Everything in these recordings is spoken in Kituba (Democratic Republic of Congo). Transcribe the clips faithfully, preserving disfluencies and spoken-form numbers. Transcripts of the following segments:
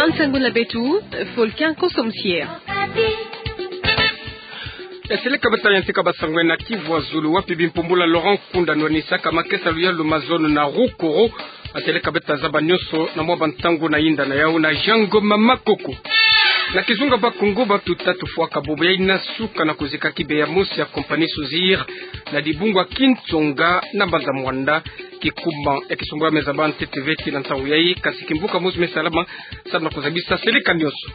Nsangu na beto, Volcan Kosomsier. Eseleka beto ya ntika basangu na Kivu ya Zulu, wapi bimpumbulu ya Laurent Nkunda nwanisaka makesa luyalu ma zono na Rukoro. Eseleka beto zaba nyonso na mwa bantangu na yinda na yau na Jean Ngoma Makoko. Na kizunga Bakongo, bato tatu fwaka bobo ya inasuka na kozika kibe ya mosi ya compagnie Sozir na dibungu ya Kintsonga na mbanza Muanda. Kikuma ya kisumbwa me zaba ntete ve tii na ntangu yayi, kasi kimvuka mosi me salama samu na kozabisa seleka nyonso.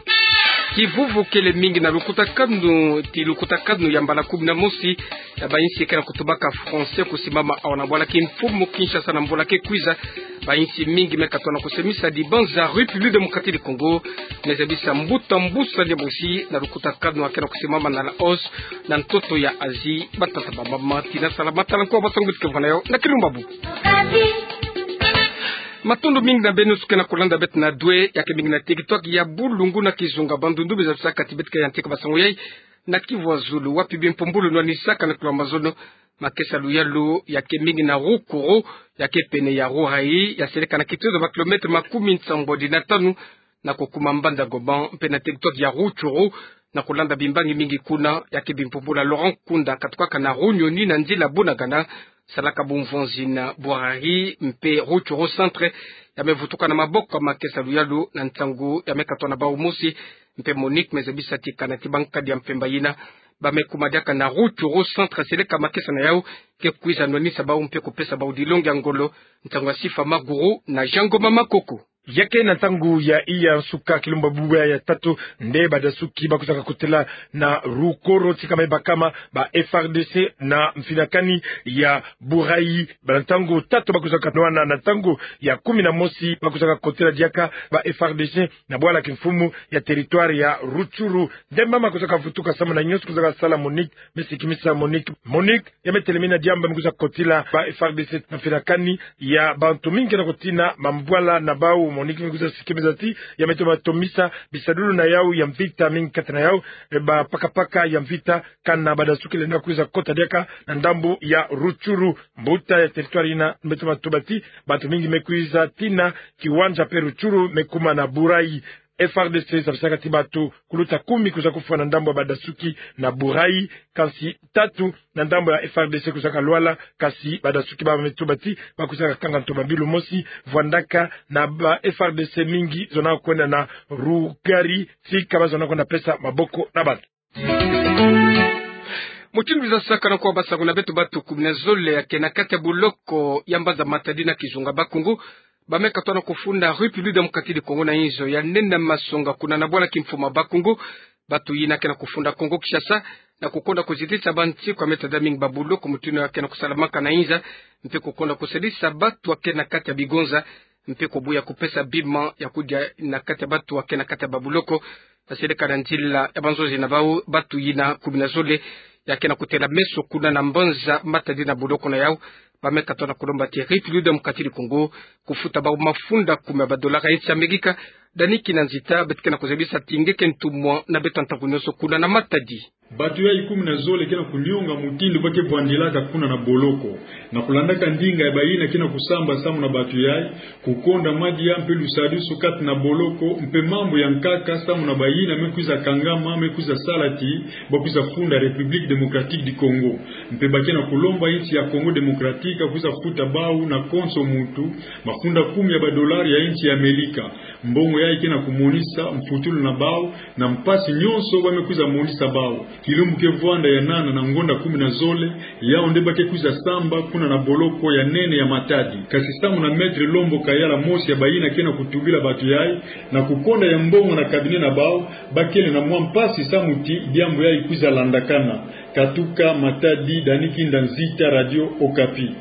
Kivuvu kele mingi na lukutakanu, tii lukutakanu ya mbala kumi na mosi ya bainsi ke na kutubaka français kusimama awa na bwala kimfumu Kinshasa na mbula ke kwiza. Bainsi mingi me katwa na kosemisa dibanza République démocratique du Congo, me zabisa mbuta mbusa ndie mosi na lukutakanu ya ke na kusimama na Laos na ntoto ya Asie. Batata, bamama, tii na salamata, nkwa basangu beto ke vwanda na yau na Kilumbabu. Matondo mingi na beno nyonso ke na kolanda beto na dwe, ya ke mingi na TikTok ya Bulungu na kizunga Bandundu, me zabisaka ti beto ke ya ntika basangu yayi na Kivu ya Zulu, wapi bimpumbulu nwanisaka na kilo mazono makesa luyalu, ya ke mingi na Rukoro, ya ke pene ya Rurayi, ya seleka na kitozo ba kilomètre makumi nsambwadi na tanu na kokuma mbanza Goma, mpe na TikTok ya Rutshuru, na kolanda bimbangi mingi kuna, ya ke bimpumbulu ya Laurent Nkunda katukaka na Runyoni na nzila Bunagana, salaka bumvonzi na Bouarari mpe Rutshuru centre, ya me vutuka na maboko ya makesa luyalu na ntangu ya me katwa na bau mosi, mpe Monique me zabisa ti kana ti bankadi ya mpemba yina ba me kuma diaka na Rutshuru centre, seleka makesa na yau ke kwiza nwanisa bau mpe kopesa bau dilongi ya ngolo. Ntangu ya Sifa Maguru na Jean Ngoma Makoko. Ya ke na ntangu ya iya nsuka Kilumbabu ya tatu nde badasuki bakwizaka kotela na Rukoro, tika me bakama ba F R D C na mfinakani ya Bouarari. Ba na ntangu tatu bakwizaka nwana, na ntangu ya kumi na mosi bakwizaka kotela diaka ba F R D C na bwala kimfumu ya territoire ya Rutshuru. Nde mama kwizaka vutuka samu na nyonso kwizaka sala Monique, me sikimisa Monique. Monique, ya me telemina diambu me kwiza kotila ba F R D C na mfinakani ya bantu mingi ke na kotina mambwala na bau. Monique me kwiza sikimisa ti ya me toma tomisa bisadulu na yau ya mvita mingi kati na yau, e, ba paka-paka ya mvita, kana badasuki lenda kwiza kota diaka na ndambu ya Rutshuru. Mbuta ya territoire yina me toma tuba ti bantu mingi me kwiza tina Kiwanja mpe Rutshuru me kuma na Bouarari. F R D C zabisaka ti bato kuluta kumi kwiza kufwa na ndambu ya badasuki na Bouarari, kansi tatu na ndambu ya F R D C kwizaka lwala, kasi badasuki ba me tuba ti bakwizaka kanga ntomabilu mosi vwandaka na ba F R D C mingi zona kwenda na Rurayi, tika ba zona kwenda pesa maboko na bato. Mutindu biza sakana kwa basangu na beto, bato kumi na zole ya ke na kati ya boloko ya mbanza Matadi na kizunga Bakongo ba me katwa na kofunda République démocratique du Congo na inzo ya nene masonga kuna na bwala kimfumu ya Bakongo. Bato yina ke na kofunda Kongo Kinshasa na kokonda kozitisa bansi kwa me tada mingi ba boloko mutindu ya ke na kosalamaka na inza, mpe kokonda kosalisa bato ya ke na kati ya bigonza, mpe kobuya kopesa bima ya kodia na kati ya bato ya ke na kati ya ba boloko. Baseleka na nzila ya banzonzi na bau, bato yina kumi na zole ya ke na kotela meso kuna na mbanza Matadi na boloko na yau, ba me katwa na kolomba ti République démocratique du Congo kofuta bau mafunda kumi ya ba dollars ya insi ya Amerika. Dani Kinanzita, beto ke na kozabisa ti nge ke ntumwa na beto ntangu nyonso kuna na Matadi. Bato yayi kumi na zole ke na konionga mutindu ba ke vwandilaka kuna na boloko, na kolandaka ndinga ya bayina ke na kosamba samu na bato yayi, kokonda madia mpe lusadusu kati na boloko, mpe mambu ya nkaka samu na bayina me kwiza kangama, me kwiza sala ti ba kwiza funda République démocratique du Congo. Mpe ba ke na kolomba insi ya Congo Démocratique kwiza futa bau na konso muntu mafunda kumi ya ba dollars ya insi ya Amerika. Mbongo yayi ke na komonisa mfutulu na bau na mpasi nyonso ba me kwiza monisa bau. Kilumbu ke vwanda ya nana na ngonda kumi na zole, yau nde ba ke kwiza samba kuna na boloko ya nene ya Matadi. Kasi samu na Maître Lombo Kayala, mosi ya bayina ke na kotubila bato yayi na kokonda ya mbongo na cabinet na bau, ba kele na mwa mpasi samu ti diambu yayi kwiza landakana. Katuka Matadi, Dani Kinanzita, Radio Okapi.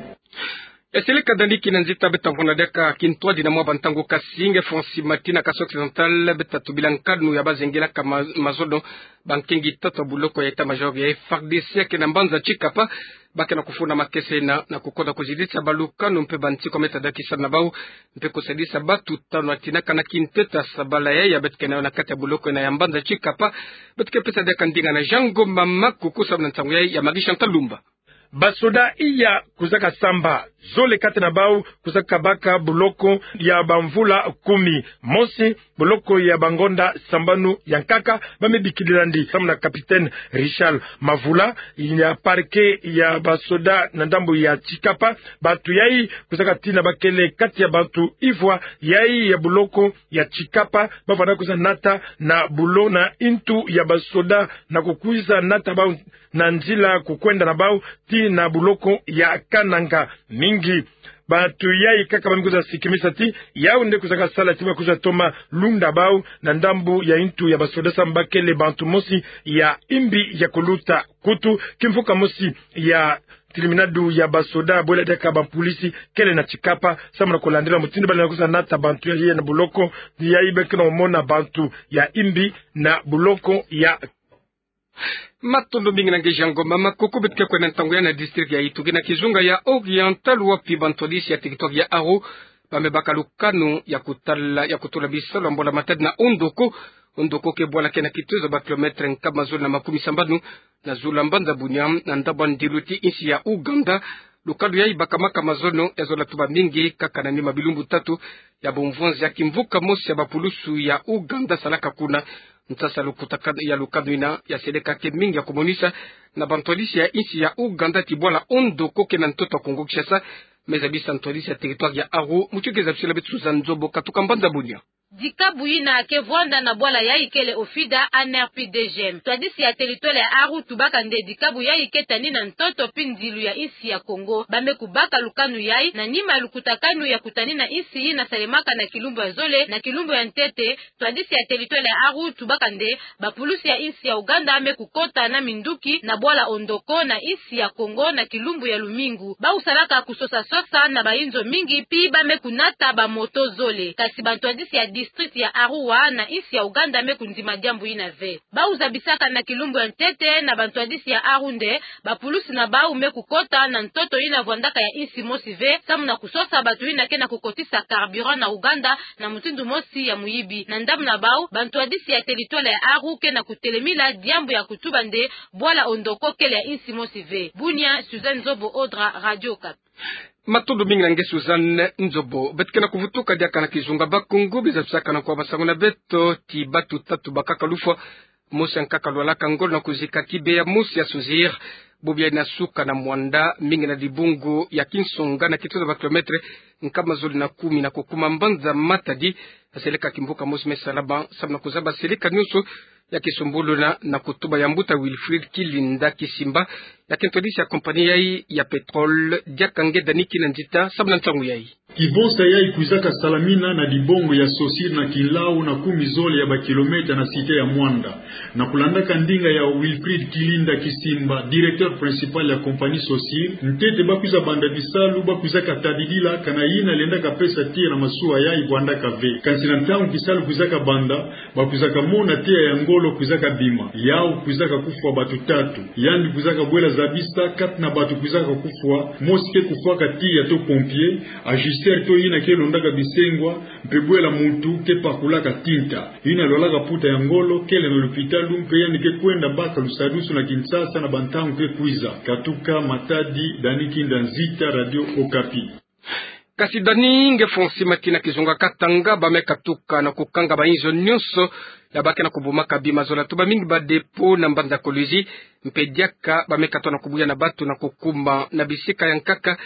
Eseleka Dani Kinanzita. Beto vwanda diaka kintwadi na mwa bantangu kasi nge Francis Matina, Kasaï Occidental, beto tubila nkanu ya bazengelaka ma-, mazono bankengi tatu ya boloko ya état-major ya F R D C ya ke na mbanza Tshikapa. Ba ke na kofunda makesa yina na kokonda kozitisa balukanu mpe bansi kwa me tada kisala na bau, mpe kosalisa bato tanu ya tinaka na kintete ya sabala yayi ya beto ke na yo na kati ya boloko yina ya mbanza Tshikapa. Beto ke pesa diaka ndinga na Jean Ngoma Makoko samu na nsangu yayi ya Marie Chantal Lumba. Basoda iya kwizaka samba, zole kati na bau kwizaka baka boloko ya bamvula kumi. Mosi, boloko ya bangonda sambanu ya nkaka, ba me bikilila ndi, samu na capitaine Richard Mavula, ya parquet ya basoda na ndambu ya Tshikapa. Bantu yai kwizaka tina bakele kati ya bantu ivwa yai ya boloko ya Tshikapa, ba vanda kwiza nata na bulo na ntu ya basoda na kukwiza nata bau na nzila kukwenda na bau ti na boloko ya Kananga. Mingi bantu yai kaka ba me kwiza sikimisa ti yau nde kwizaka sala ti ba kwiza toma lunda bau na ndambu ya ntu ya basoda, samu bakele bantu mosi ya imbi ya kuluta. Kutu, kimvuka mosi ya terminado ya basoda bwela diaka bapolisi kele na Tshikapa, samu na kulandila mutindu ba lenda kwiza nata bantu yai na boloko yai. Be ke na mona bantu ya imbi na boloko ya Matondo mingi na nge Jean Ngoma. Makuku beto ke kwenda ntangu yai na district ya Uitogi na kizunga ya Oriental, wapi bantwadisi ya territoire ya Aru ba me baka lukanu ya kutala, ya kutula bisalu ya mbola matadi na Ondoko. Ondoko ke bwala ke na kituza ba kilomètre nkama zole na makumi sambanu na zulu ya mbanza Bunia, na ndambu ya ndilu ti insi ya Ouganda. Lukanu yai bakamaka mazono ya zola tuba mingi kaka na nima bilumbu tatu ya bumvwanzi ya kimvuka mosi ya bapulusu ya Ouganda salaka kuna. Nsasa lukutaka ya lukanu ina ya seleka ke mingi ya kumonisa na bantwadisi ya insi ya Ouganda ti bwala Ondoko ke na ntoto ya Kongo Kinshasa, me zabisa ntwadisi ya territoire ya Aru. Mutu ke zabisila beto Suzanne Nzobo katuka mbanza Bunia. Dikabu yina ke vwanda na bwala yai kele OFIDA, ANR pi DGM. Ntwadisi ya territoire ya Aru tubaka nde dikabu yai ke tani na ntoto pi ndilu ya insi ya Kongo. Ba me kubaka lukanu yai na nima lukutakanu ya kutani na insi yina salemaka na kilumbu ya zole na kilumbu ya ntete. Ntwadisi ya territoire ya Aru tubaka nde bapulusu ya insi ya Ouganda me kukota na minduki na bwala Ondoko na insi ya Kongo na kilumbu ya lumingu. Bau salaka kusosa-sosa na bayinzo mingi, pi ba me kunata bamoto zole. Kasi bantwadisi ya district ya Arua na insi ya Ouganda me kundima diambu yina ve. Bau zabisaka na kilumbu ya ntete na bantwadisi ya Aru nde bapulusu na bau me kukota na ntoto yina vwandaka ya insi mosi ve, samu na kusosa bato yina ke na kukotisa carburant na Ouganda na mutindu mosi ya muyibi. Na ndambu na bau, bantwadisi ya territoire ya Aru ke na kutelemila diambu ya kutuba nde bwala Ondoko kele ya insi mosi ve. Bunia, Suzanne Nzobo Audra, Radio Okapi. Matondo mingi na nge Suzanne Nzobo. Beto ke na kuvutuka diaka na kizunga Bakongo, biza tusakana kwa masangu na beto ti batu tatu bakaka lufwa. Mosi ya nkaka lwalaka ngolo na kuzika kibe ya mosi ya Sozir. Bobo yai na suka na Muanda, mingi na dibungu ya Kinsonga na kituza ba kilomètre nkama zole na kumi na kukuma mbanza Matadi. Seleka kimvuka mosi me salama samu na kuzaba seleka nyonso ya kisumbuluna na kutuba ya mbuta Wilfried Kilinda Kisimba, ya ke ntwadisi ya compagnie yai ya pétrole. Diaka nge Dani Kinanzita samu na ntangu yai. Kibonsa yai kwizaka salamina na dibungu ya Sosir na kinlau na kumi zole ya ba kilomètre na cité ya Muanda. Na kulandaka ndinga ya Wilfried Kilinda Kisimba, directeur principal ya compagnie Sosir, ntete ba kwiza banda bisalu ba kwizaka tadidila kana yina lendaka pesa tiya na masuwa yai vwandaka ve. Kansi na ntangu kisalu kwizaka banda, ba kwizaka mona tiya ya ngolo kwizaka bima. Yau kwizaka kufwa bato tatu. Yandi kwizaka bwela zabisa kati na bato kwizaka kufwa, mosi ke kufwaka tiya to pompier, ajusteur to yina ke londaka bisengwa, mpe bwela muntu ke pakulaka tinta. Yina lwalaka mputa ya ngolo kele na lupitalu, mpe yandi ke kwenda baka lusadusu na Kinshasa na bantangu ke kwiza. Katuka Matadi, Dani Kinanzita, Radio Okapi. Kasi Dani, nge Fonsi Mati na kizunga Katanga, ba me katuka na kukanga bayinzo nyonso ya ba ke na kubumaka bima, zola tuba mingi ba dépôt na mbanza Kolwezi, mpe diaka ba me katuka na kubuya na bato na kukuma na bisika ya nkaka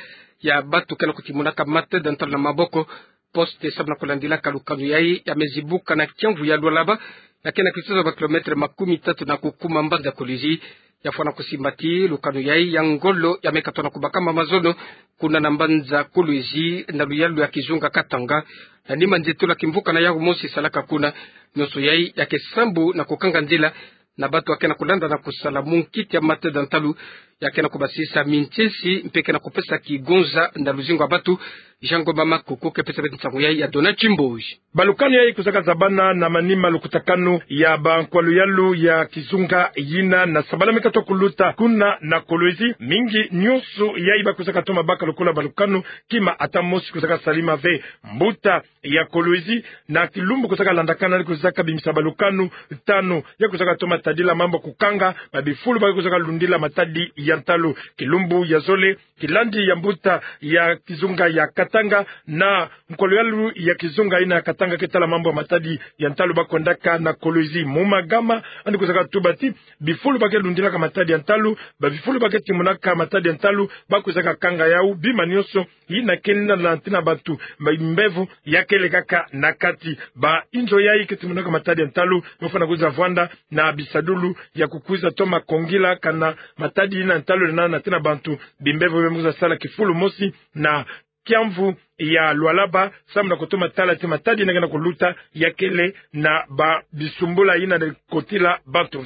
ya bato ke na kutimonaka matadi ya ntalu na maboko, poste, samu na kulandilaka lukanu yai ya me zibuka na kiamvu ya Lualaba, ya ke na kituza ba kilomètre makumi tatu na kukuma mbanza Kolwezi. Ya fwana kusimba ti lukanu yai ya ngolo ya me katuka na kubakama mazono kuna na mbanza Kolwezi na luyalu ya kizunga Katanga. Na nima nzietolo ya kimvuka na yawu mosi salaka kuna, nyonso yai ya ke sambu na kukanga nzila na bato ya ke na kulanda na kusala munkiti ya matadi ya ntalu, ya ke na kubasisa mintsesi mpe ke na kupesa kigonza na luzingu ya bato. Jean Ngoma Makoko ke pesa beto nsangu yai ya Donat Chimboji. Balukanu yai kwizaka zabana na manima lukutakanu ya bankwalu yalu ya kizunga yina na sabala mi katwa kuluta kuna na Kolwezi. Mingi nyonso yai bakwizaka toma baka lokola balukanu, kima ata mosi kwizaka salama ve. Mbuta ya Kolwezi, na kilumbu kwizaka landakana kwizaka bimisa balukanu tanu ya kwizaka toma tadila mambu ya kukanga babifulu ba kwizaka lundila matadi ya ntalu. Kilumbu ya zole, kilandi ya mbuta ya kizunga ya Katanga na nkwalu yalu ya kizunga yina ya Katanga ke tala mambu ya matadi ya ntalu bakwendaka na Kolwezi. Mu magama, yandi kwizaka tuba ti bifulu ba ke lundilaka matadi ya ntalu, babifulu ba ke timonaka matadi ya ntalu, bakwizaka kanga yau. Bima nyonso yina ke lenda na ntina bantu, ma mbevo ya ke lekaka na kati. Ba inzo yai ke timonaka matadi ya ntalu, me fwana kwiza vwanda na bisadulu ya kukwiza toma kongila kana matadi yina ya ntalu lenda na ntina bantu, bimbevo bia me kwiza sala kifulu mosi na kiamvu ya Lualaba, samu na kutoma tala ti matadi yina ke na kuluta ya kele na babisumbula yina na kotila bantu.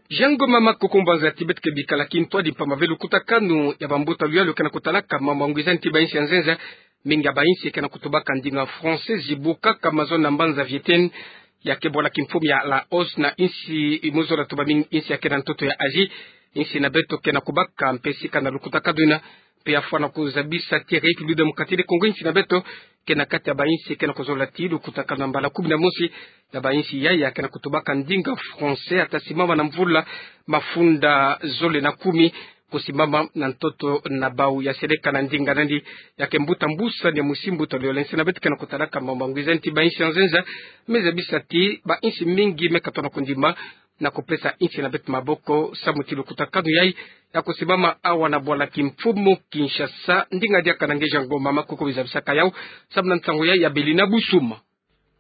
Jean Ngoma Makoko, mbanza ti beto ke bikala kintwadi mpamba ve lukutakanu ya bambuta luyalu ke na kutalaka mambu ya ngwizani ti bainsi ya nzenza. Mingi ya bainsi ke na kutubaka ndinga français, zibukaka mazono na mbanza Vietnam, ya ke bwala kimfumu ya Laos, na insi imu zola tuba mingi insi ya ke na ntoto ya Asie. Insi na beto ke na kubaka mpesi kana lukutakanu yina, mpe ya fwana kuzabisa ti République Démocratique du Congo, insi na beto ke na kati ya bainsi ke na kuzola ti lukutakanu ya mbala kumi na mosi ya bainsi yai ya ke na kutubaka ndinga français, ata simama na mvula mafunda zole na kumi, kusimama na ntoto na bau. Ya seleka na ndinga nandi, ya ke mbuta mbusani ya mwisi mbuta luyole insi na beto ke na kutalaka mambu ya ngwizani ti bainsi ya nzenza, me zabisa ti bainsi mingi me katona kondima na kupesa insi na beto maboko, samu ti lukutakanu yai ya kusimama awa na bwala kimfumu Kinshasa. Ndinga diaka na nge Jean Ngoma Makoko bizabisaka yau, samu na nsangu yai ya Belina Busuma.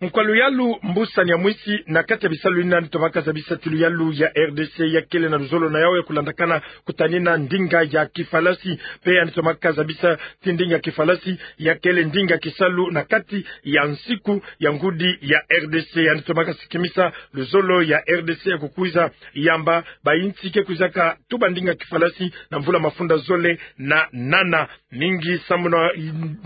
Nkwalu yalu mbusani ya mwisi na kati ya bisalu yina yandi tomaka zabisa ti luyalu ya R D C ya kele na luzolo na yau ya kulandakana kutanina ndinga ya kifalasi. Mpe yandi tomaka zabisa ti ndinga ya kifalasi ya kele ndinga kisalu na kati ya nsiku ya ngudi ya R D C. Yandi tomaka sikimisa luzolo ya R D C ya kukwiza yamba bainsi ke kwizaka tuba ndinga kifalasi na mvula mafunda zole na nana. Mingi samu na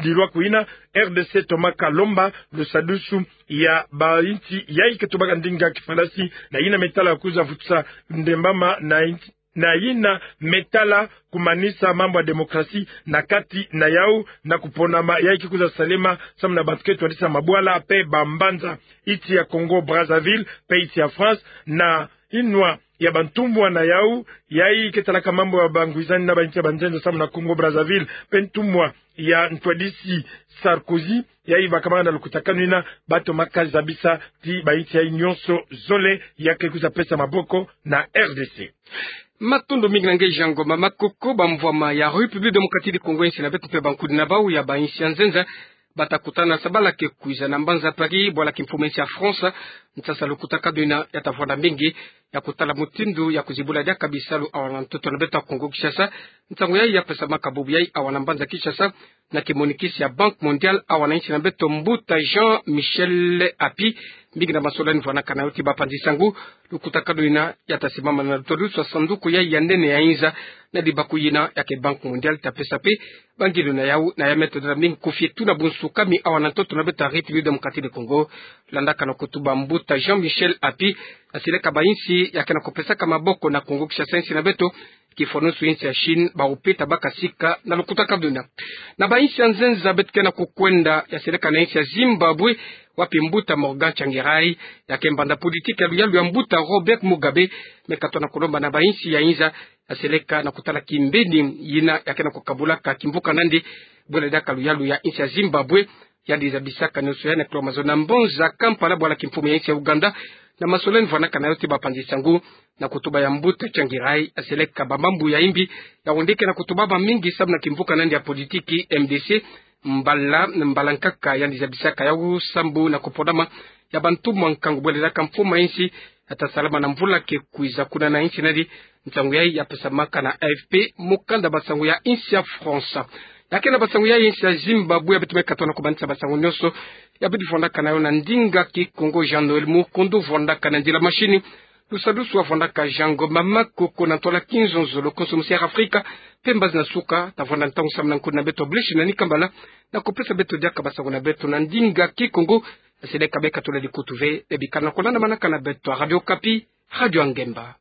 dilwa kwina, R D C tomaka lomba lusadusu ya bainsi yai ke tubaka ndinga kifalasi, na yina me tala kwiza vutusa ndembama na insi, na yina me tala kumanisa mambu ya démocratie na kati na yau, na kuponama yai ke kwiza salema samu na bantu ke twadisa mabwala mpe bambanza, insi ya Congo Brazzaville mpe insi ya France, na inwa ya bantumwa na yau yai ke talaka mambu ya bangwizani na bainsi ya banzenza samu na Congo Brazzaville, mpe ntumwa ya ntwadisi Sarkozy, yai bakamana na lukutakanu yina, batomaka zabisa ti bainsi yai nyonso zole ya ke kwiza pesa maboko na R D C. Matondo mingi na nge Jean Ngoma Makoko. Bamvwama ya République Démocratique du Congo, insi na beto mpe bankudi na bau ya bainsi ya nzenza bata kutana sabala ke kwiza na mbanza Paris, bwala kimfumu ya insi ya France, nsasa lukutakanu yina ya tavwanda mingi ya kutala mutindu ya kuzibula diaka bisalu awa na ntoto na beto ya Congo Kinshasa. Nsangu yai ya pesamaka bubu yai awa na mbanza Kinshasa na kimonikisi ya Banque Mondiale awa na insi na beto, mbuta Jean Michel Api. Mingi na masolo yandi vwanakana yau ti bapanzi nsangu. Lukutakanu yina ya ta simama na lutwadusu ya sanduku yai ya nene ya inza na libaku yina ya ke Banque Mondiale ta pesa mpe bangilu na yau na ya me tondela mingi kufie tuna bunsukami awa na ntoto na beto ya République Démocratique du Congo. Landaka na kutuba mbuta Jean Michel Api, ya seleka bainsi ya ke na kupesaka maboko na Congo Kinshasa, insi na beto, kifwanusu insi ya Chine, bau mpe ta baka sika na lukutakanu yina. Na bainsi ya nzenza beto ke na kukwenda, ya seleka na insi ya Zimbabwe, wapi mbuta Morgan Tsvangirai, ya ke mbanda politiki ya luyalu ya mbuta Robert Mugabe, me katona kulomba na bainsi ya inza, ya seleka na kutala kimbeni yina ya ke na kukabulaka kimvuka nandi, bwela diaka luyalu ya insi ya Zimbabwe. Yandi zabisaka nyonso yai na kilwa mazono na mbanza Kampala, bwala kimfumu ya insi ya Ouganda, na masolo yandi vwanakana yau ti bapanzi nsangu, na kutuba ya mbuta Tsvangirai, ya seleka bamambu ya imbi ya wendeke na kutubama mingi samu na kimvuka nandi ya politiki, M D C, mbala, mbala nkaka yandi zabisaka yau sambu na kuponama ya bantumwa nkangu bwela diaka mfumu ya insi ya ta salama na mvula ke kwiza kuna na insi nandi. Nsangu yai ya pesamaka na A F P, mukanda basangu ya insi ya France. Ya ke na basangu yai ya insi ya Zimbabwe, ya beto me katona kumanisa basangu nyonso, ya bidi vwandakana yau na ndinga Kikongo. Jean Noël Mukundu vwandakana nzila mashini, Lusadusu avwandaka Jean Ngoma Makoko na ntwala Kinzonzo, lokonso musi Air Afrika, mpe mbazi na suka, tavwanda ntangu samu na nkundi na beto, blessing na ni kambala, na kupesa beto diaka basango na beto na ndinga Kikongo, na sede kabeka tula dikutu ve, ebikana kolanda manaka na beto, Radio Okapi, Radio a Ngemba.